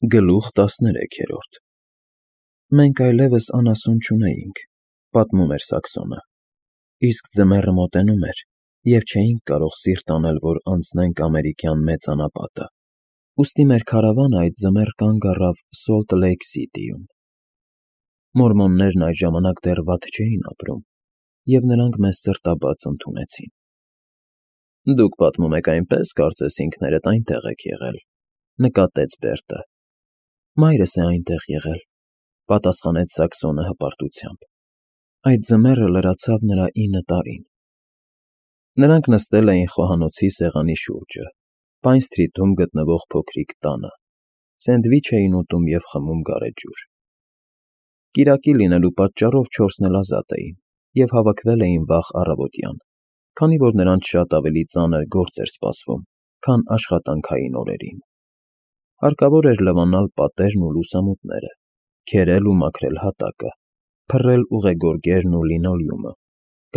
Գլուխ 13 Մենք այլևս անասուն չունեինք, պատմում էր Սաքսոնը, իսկ ձմեռը մոտենում էր, և չէինք կարող սիրտ անել, որ անցնենք ամերիկյան Մեծ անապատը, ուստի մեր քարավանը այդ ձմեռ կանգ առավ Սոլթ Լեյք Սիթիում։ Մորմոններն այդ ժամանակ դեռ վատ չէին ապրում, և նրանք մեզ սրտաբաց ընդունեցին։ Դուք պատմում եք այնպես, կարծես ինքներդ այնտեղ եք եղել, նկատեց Բերտը։ Մայրս է այնտեղ եղել, պատասխանեց Սաքսոնը հպարտությամբ։ Այդ ձմեռը լրացավ նրա 9 տարին։ Նրանք նստել էին խոհանոցի սեղանի շուրջը, Պայն Սթրիթում գտնվող փոքրիկ տանը, սենդվիչ էին ուտում և խմում գարեջուր։ Կիրակի լինելու պատճառով 4-ն էլ ազատ էին և հավաքվել էին վաղ առավոտյան, քանի որ նրանց շատ ավելի ծանր գործ էր սպասվում, քան աշխատանքային օրերին։ Հարկավոր էր լվանալ պատերն ու լուսամուտները, քերել ու մաքրել հատակը, փռել ուղեգորգերն ու լինոլեումը,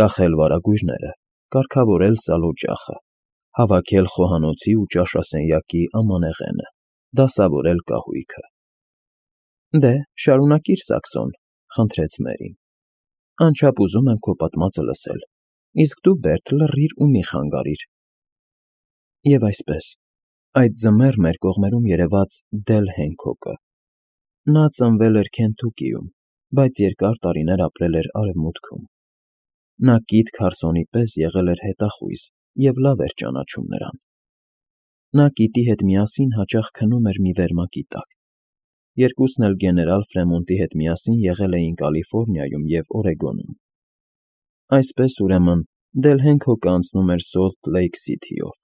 կախել վարագույրները, կարգավորել սալօջախը, հավաքել խոհանոցի ու ճաշասենյակի ամանեղենը, դասավորել կահույքը։ Դե, շարունակիր, Սաքսոն, խնդրեց Մերին։ Անչափ ուզում եմ քո պատմածը լսել, իսկ դու, Բերտ, լռիր ու մի խանգարիր։ Եվ այսպես, այդ ձմեռ մեր կողմերում երևաց Դել Հենքոկը։ Նա ծնվել էր Քենթուկիում, բայց երկար տարիներ ապրել էր Արևմուտքում։ Նա Կիթ Քարսոնի պես եղել էր հետախույզ և լավ էր ճանաչում նրան։ Նա Կիտի հետ միասին հաճախ քնում էր մի վերմակի տակ։ Երկուսն էլ գեներալ Ֆրեմոնտի հետ միասին եղել էին Կալիֆոռնիայում և Օրեգոնում։ Այսպես, ուրեմն, Դել Հենքոկը անցնում էր Սոլթ Լեյք Սիթիով,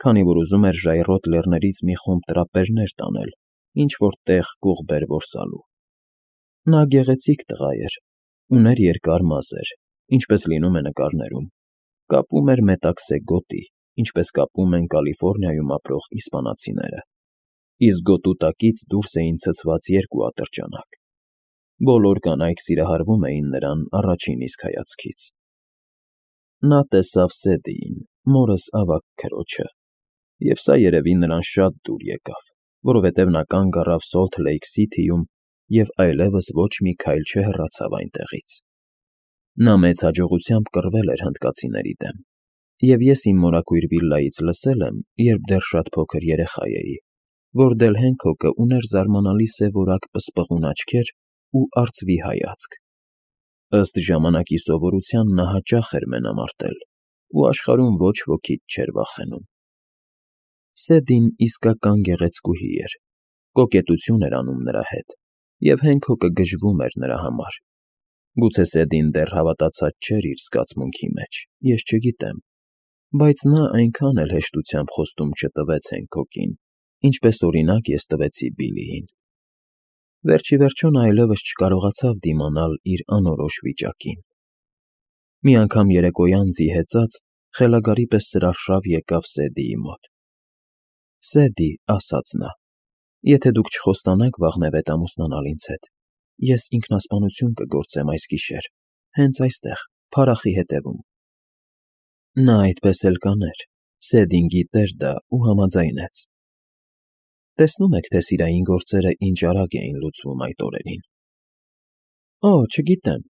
քանի որ ուզում էր ժայռոտ լեռներից մի խումբ տրապերներ տանել ինչ-որ տեղ կողբեր որսալու։ Նա գեղեցիկ տղա էր, ուներ երկար մազեր, ինչպես լինում է նկարներում, կապում էր մետաքսե գոտի, ինչպես կապում են Կալիֆոռնիայում ապրող իսպանացիները, իսկ գոտու տակից դուրս էին ցցված 2 ատրճանակ։ Բոլոր կանայք սիրահարվում էին նրան առաջին իսկ հայացքից։ Նա տեսավ Սեդիին, մորս ավագ քրոջը, և սա երևի նրան շատ դուր եկավ, որովհետև նա կանգ առավ Սոլթ Լեյք Սիթիում և այլևս ոչ մի քայլ չհեռացավ այնտեղից։ Նա մեծ հաջողությամբ կռվել էր հնդկացիների դեմ, և ես իմ մորաքույր վիլլայից լսել եմ, երբ դեռ շատ փոքր երեխա էի, որ Դել Հենքոկը ուներ զարմանալի սևորակ պսպղուն աչքեր ու արծվի հայացք։ Ըստ ժամանակի սովորության նա հաճախ էր մենամարտել ու աշխարհում ոչ ոքից չէր վախենում։ Սեդին իսկական գեղեցկուհի էր, կոկետություն էր անում նրա հետ, և Հենքոկը գժվում էր նրա համար։ Գուցե Սեդին դեռ հավատացած չէր իր զգացմունքի մեջ, ես չգիտեմ, բայց նա այնքան էլ հեշտությամբ խոստում չտվեց Հենքոկին, ինչպես օրինակ ես տվեցի Բիլլիին։ Վերջիվերջո նա այլևս չկարողացավ դիմանալ իր անորոշ վիճակին։ Մի անգամ երեկոյան ձի հեծած խելագարի պես սրարշավ եկավ Սեդիի մոտ։ Սեդի, ասաց նա, եթե դուք չխոստանաք վաղնևետ ամուսնանալ ինձ հետ, ես ինքնասպանություն կգործեմ այս գիշեր, հենց այստեղ, փարախի հետևում։ Նա այդպես էլ կաներ, Սեդին գիտեր դա ու համաձայնեց։ Տեսնում եք, թե սիրային գործերը ինչ արագ էին լուծվում այդ օրերին։ Օ, չգիտեմ,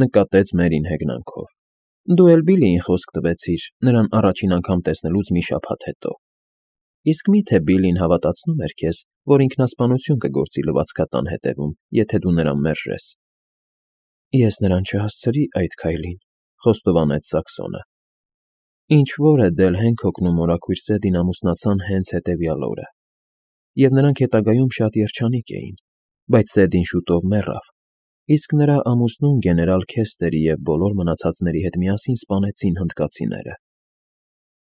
նկատեց Մերին հեգնանքով։ Դու էլ Բիլլիին խոսք տվեցիր, նրան առաջին անգամ տեսնելուց մի շաբաթ հետո։ Իսկ մի՞թե Բիլլին հավատացնում էր քեզ, որ ինքնասպանություն կգործի լվացքատան հետևում, եթե դու նրան մերժես։ Ես նրան չհասցրի այդ քայլին, խոստովանեց Սաքսոնը։ Ինչ֊որ է Դել Հենքոկն ու մորաքույր Սեդին ամուսնացան հենց հետևյալ օրը, և նրանք հետագայում շատ երջանիկ էին, բայց Սեդին շուտով մեռավ, իսկ նրա ամուսնուն գեներալ Քեսթերի և բոլոր մնացածների հետ միասին սպանեցին հնդկացիները։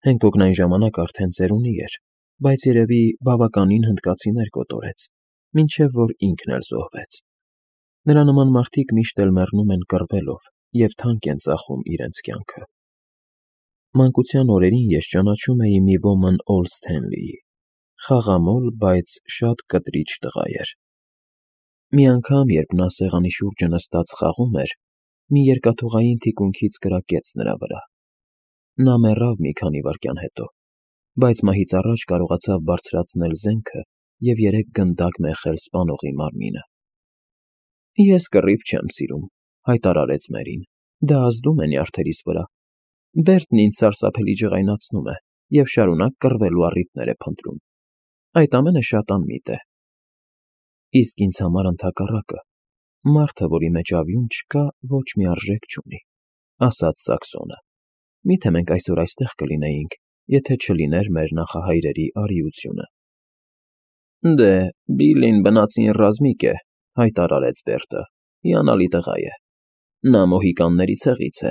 Հենքոկն այն ժամանակ արդեն ծերունի էր, բայց երևի բավականին հնդկացիներ կոտորեց, մինչև որ ինքն էլ զոհվեց։ Նրա նման մարդիկ միշտ էլ մեռնում են կռվելով և թանկ են ծախում իրենց կյանքը։ Մանկության օրերին ես ճանաչում էի մի ոմն Օլ Սթենլիի, խաղամոլ, բայց շատ կտրիչ տղա էր։ Մի անգամ, երբ նա սեղանի շուրջը նստած խաղում էր, մի երկաթուղային թիկունքից կրակեց նրա վրա։ Նա մեռավ մի քանի վայրկյան հետո, բայց մահից առաջ կարողացավ բարձրացնել զենքը և 3 գնդակ մեխել սպանողի մարմինը։ Ես կռիվ չեմ սիրում, հայտարարեց Մերին, դա ազդում է նյարդերիս վրա։ Բերտն ինձ սարսափելի ջղայնացնում է և շարունակ կռվելու առիթներ է փնտրում։ Այդ ամենը շատ անմիտ է։ Իսկ ինձ համար ընդհակառակը, մարդը, որի մեջ ավյուն չկա, ոչ մի արժեք չունի, ասաց Սաքսոնը։ Միթե մենք այսօր այստեղ կլինեինք, եթե չլիներ մեր նախահայրերի արիությունը։ Դե, Բիլլին բնածին ռազմիկ է, հայտարարեց Բերտը, հիանալի տղա է։ Նա մոհիկանների ցեղից է,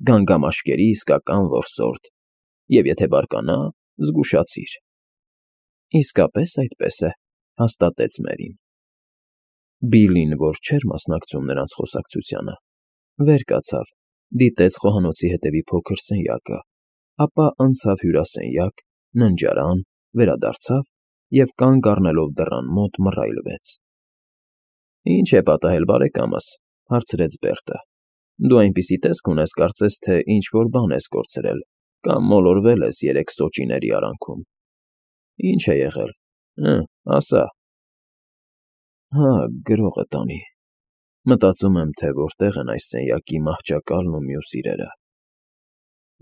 գանգամաշկերի իսկական որսորդ, և եթե բարկանա, զգուշացիր։ Իսկապես այդպես է, հաստատեց Մերին։ Բիլլին, որ չէր մասնակցում նրանց խոսակցությանը, վեր կացավ, դիտեց խոհանոցի հետևի փոքր սենյակը, ապա անցավ հյուրասենյակ, ննջարան, վերադարձավ և կանգ առնելով դռան մոտ մռայլվեց։ Ինչ է պատահել, բարեկամս, հարցրեց Բերտը։ Դու այնպիսի տեսք ունես, կարծես թե ինչ-որ բան ես կորցրել կամ մոլորվել ես 3 սոճիների արանքում։ Ինչ է եղել, ասա։ Հա, գրողը տանի։ Մտածում եմ, թե որտեղ են այս սենյակի մահճակալն ու մյուս իրերը։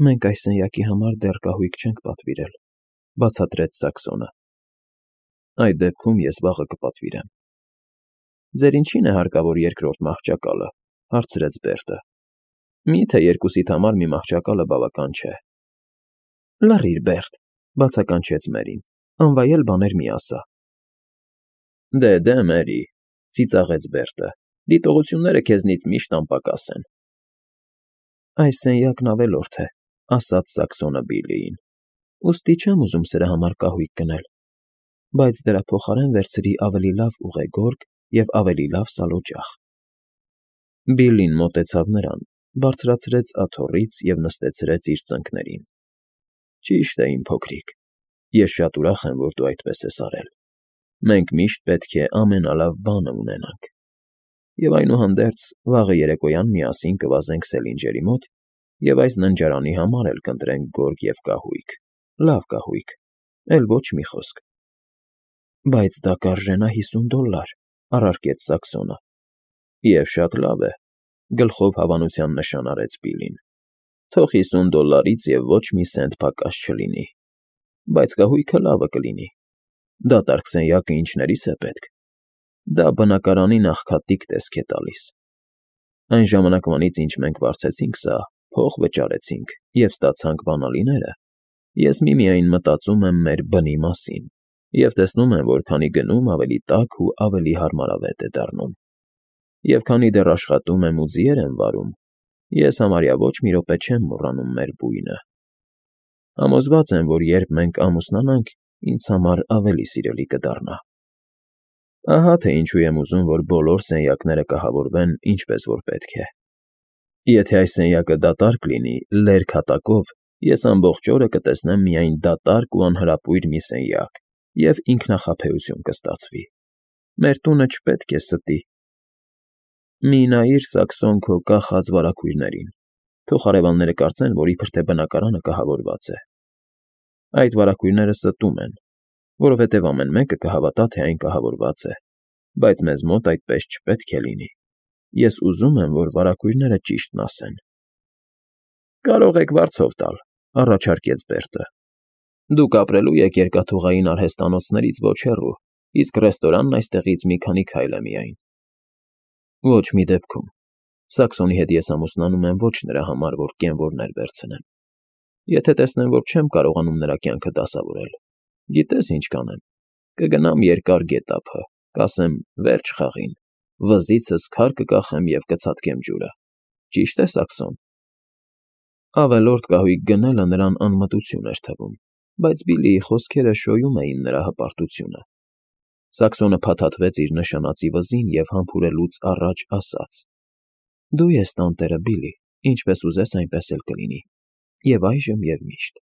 Մենք այս սենյակի համար դեռ կահույք չենք պատվիրել, բացատրեց Սաքսոնը։ Այդ դեպքում ես վաղը կպատվիրեմ։ Ձեր ինչին է հարկավոր երկրորդ մահճակալը, հարցրեց Բերտը։ Միթե երկուսիդ համար մի մահճակալը բավական չէ։ Լռիր, Բերտ, բացականչեց Մերին, անվայել բաներ մի ասա։ Դե, Մերի, ծիծաղեց Բերտը, դիտողությունները քեզնից միշտ անպակաս են։ Այս սենյակն ավելորդ է, ասաց Սաքսոնը Բիլլիին, ուստի չեմ ուզում սրա համար կահույք գնել, բայց դրա փոխարեն վերցրի ավելի լավ ուղեգորգ և ավելի լավ սալօջախ։ Բիլլին մոտեցավ նրան, բարձրացրեց աթոռից և նստեցրեց իր ծնկներին։ Ճիշտ է, իմ փոքրիկ, ես շատ ուրախ եմ, որ դու այդպես ես արել։ Մենք միշտ պետք է ամենալավ բանը ունենանք։ Եվ այնուհանդերձ, վաղը երեկոյան միասին կվազենք Սելինջերի մոտ և այս ննջարանի համար էլ կընտրենք գորգ և կահույք, լավ կահույք, էլ ոչ մի խոսք։ Բայց դա կարժենա $50, առարկեց Սաքսոնը։ Եվ շատ լավ է, գլխով հավանության նշան արեց Բիլլին։ Թող $50-ից և ոչ մի սենտ պակաս չլինի, բայց կահույքը լավը կլինի։ Դատարկ սենյակը ինչներիս է պետք։ Դա բնակարանի նախքատիկ տեսք է տալիս։ Այն ժամանակվանից, ինչ մենք վարձեցինք սա, փող վճարեցինք և ստացանք բանալիները, ես միմիայն մտածում եմ մեր բնի մասին և տեսնում եմ, որ քանի գնում ավելի տաք ու ավելի հարմարավետ է դառնում։ Եվ քանի դեռ աշխատում եմ ու ձիեր եմ վարում, ես համարյա ոչ մի րոպե չեմ մոռանում մեր բույնը։ Համոզված եմ, որ երբ մենք ամուսնանանք, ինձ համար ավելի սիրելի կդառնա։ Ահա թե ինչու եմ ուզում, որ բոլոր սենյակները կահավորվեն ինչպես որ պետք է։ Եթե այս սենյակը դատարկ լինի, լերկ հատակով, ես ամբողջ օրը կտեսնեմ միայն դատարկ ու անհրապույր մի սենյակ, և ինքնախաբեություն կստացվի։ Մեր տունը չպետք է ստի։ Մի նայիր, Սաքսոն, քո կախած վարագույրներին, թող հարևանները կարծեն, որ իբրև թե բնակարանը կահավորված է։ Այդ վարագույրները ստում են, որովհետև ամեն մեկը կհավատա, թե այն կահավորված է, բայց մեզ մոտ այդպես չպետք է լինի։ Ես ուզում եմ, որ վարագույրները ճիշտն ասեն։ Կարող եք վարձով տալ, առաջարկեց Բերտը։ Դուք ապրելու եք երկաթուղային արհեստանոցներից ոչ հեռու, իսկ ռեստորանն այստեղից մի քանի քայլ է միայն։ Ոչ մի դեպքում։ Սաքսոնի հետ ես ամուսնանում եմ ոչ նրա համար, որ կենվորներ վերցնեմ։ Եթե տեսնեմ, որ չեմ կարողանում նրա կյանքը դասավորել, գիտես ինչ կանեմ, կգնամ երկար գետափը, կասեմ վերջ խաղին, վզիցս քար կկախեմ և կցատկեմ ջուրը։ Ճիշտ է, Սաքսոն։ Ավելորդ կահույք գնելը նրան անմտություն էր թվում, բայց Բիլլիի խոսքերը շոյում էին նրա հպարտությունը։ Սաքսոնը փաթաթվեց իր նշանածի վզին և համբուրելուց առաջ ասաց. Դու ես տանտերը, Բիլլի, ինչպես ուզես, այնպես էլ կլինի։ Եվ այժմ և միշտ։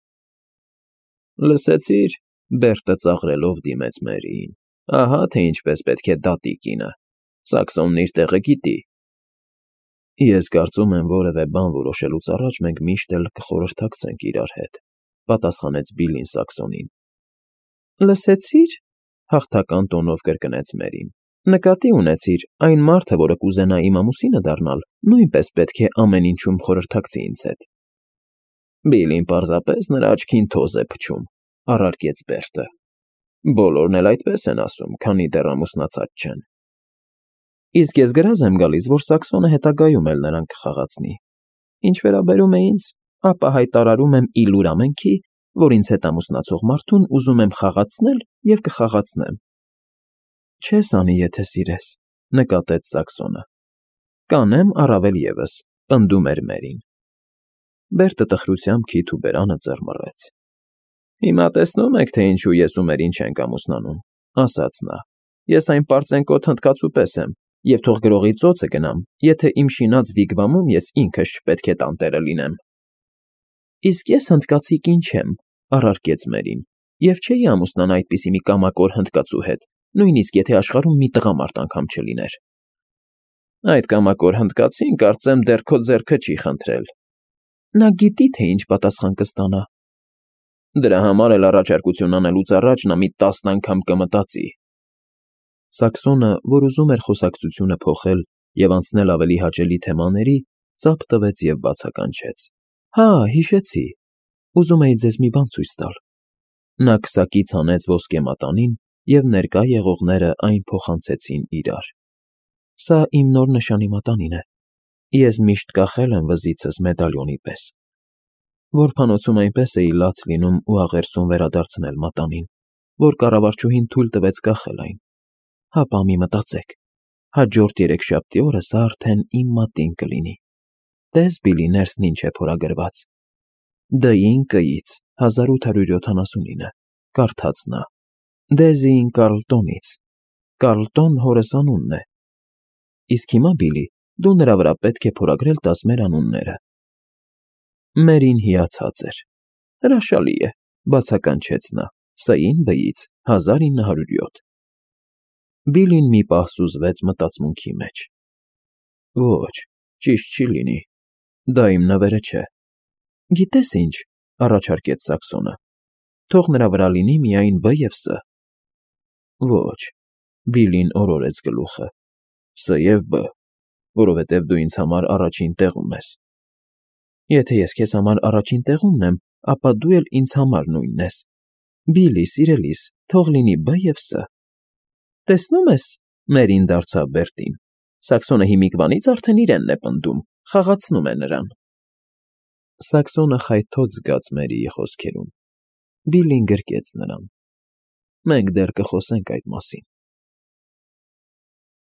Լսեցի՞ր, Բերտը ծաղրելով դիմեց Մերիին։ Ահա թե ինչպես պետք է դատի կինը։ Սաքսոնն իր տեղը գիտի։ Ես կարծում եմ, որևէ բան որոշելուց առաջ մենք միշտ էլ կխորհրդակցենք իրար հետ, պատասխանեց Բիլլին Սաքսոնին։ Լսեցի՞ր, հաղթական տոնով կրկնեց Մերին։ Նկատի ունեցիր, այն մարդը, որը կուզենա իմ ամուսինը դառնալ, նույնպես պետք է ամեն ինչում խորհրդակցի ինձ հետ։ Բիլին պարզապես նրա աչքին թոզ է փչում, առարկեց Բերտը։ Բոլորն էլ այդպես են ասում, քանի դեռ ամուսնացած չեն։ Իսկ ես գրազ եմ գալիս, որ Սաքսոնը հետագայում էլ նրան կխաղացնի։ Ինչ վերաբերում է ինձ, ապա հայտարարում եմ ի լուր ամենքի, որ ինձ հետ ամուսնացող մարդուն ուզում եմ խաղացնել և կխաղացնեմ։ Չես անի, եթե սիրես, նկատեց Սաքսոնը։ Կանեմ առավել ևս, պնդում էր Մերին։ Բերտը տխրությամբ քիթ ու բերանը ծռմռեց։ Հիմա տեսնում եք, թե ինչու ես ու Մերին չենք ամուսնանում, ասաց նա։ Ես այն պարծենկոտ հնդկացու պես եմ, և թող գրողի ծոցը գնամ, եթե իմ շինած վիգվամում ես ինքս չպետք է տանտերը լինեմ։ Իսկ ես հնդկացի կին չեմ, առարկեց Մերին, և չէի ամուսնանա այդպիսի մի կամակոր հնդկացու հետ, նույնիսկ եթե աշխարհում մի տղամարդ անգամ չլիներ։ Այդ կամակոր հնդկացին, կարծեմ, դեռ քո ձեռքը չի խնդրել։ Նա գիտի, թե ինչ պատասխան կստանա։ Դրա համար էլ առաջարկություն անելուց առաջ նա մի 10 անգամ կմտածի։ Սաքսոնը, որ ուզում էր խոսակցությունը փոխել և անցնել ավելի հաճելի թեմաների, ծափ տվեց և բացականչեց. Հա, հիշեցի։ Ուզում էի ձեզ մի բան ցույց տալ։ Նա քսակից հանեց ոսկե մատանին, և ներկա եղողները այն փոխանցեցին իրար։ Սա իմ նոր նշանի մատանին է։ Ես միշտ կախել եմ վզիցս մեդալիոնի պես։ Որբանոցում այնպես էի լաց լինում ու աղերսում վերադարձնել մատանին, որ կառավարչուհին թույլ տվեց կախել այն։ Հապա մի մտածեք, հաջորդ երեքշաբթի օրը սա արդեն իմ մատին կլինի։ Տես Բիլի ներսն ինչ է փորագրված։ Դ-ին Կ-ից 1879, կարդաց նա։ Դեզին Կարլտոնից։ Կարլտոն հորս անունն է։ Իսկ հիմա, Բիլի, դու նրա վրա պետք է փորագրել տաս մեր անունները։ Մերին հիացած էր։ Հրաշալի է, բացականչեց նա, Ս-ին Բ-ից 1907։ Բիլին մի պահ սուզվեց մտածմունքի մեջ։ Ոչ, ճիշտ չի լինի, դա իմ նվերը չէ։ Գիտես ինչ, առաջարկեց Սաքսոնը, թող նրա վրա լինի միայն Բ և Ս։ Ոչ, Բիլին օրորեց գլուխը, Ս և Բ, որովհետև դու ինձ համար առաջին տեղում ես։ Եթե ես քեզ համար առաջին տեղումն եմ, ապա դու էլ ինձ համար նույնն ես։ Բիլի, սիրելիս, թող լինի Բ և Ս։ Տեսնում ես, Մերին դարձավ Բերտին։ Սաքսոնը հիմիկվանից արդեն իրենն է պնդում, խաղացնում է նրան։ Սաքսոնը խայթոց զգաց Մերիի խոսքերում։ Բիլին գրկեց նրան։ Մենք դեռ կխոսենք այդ մասին։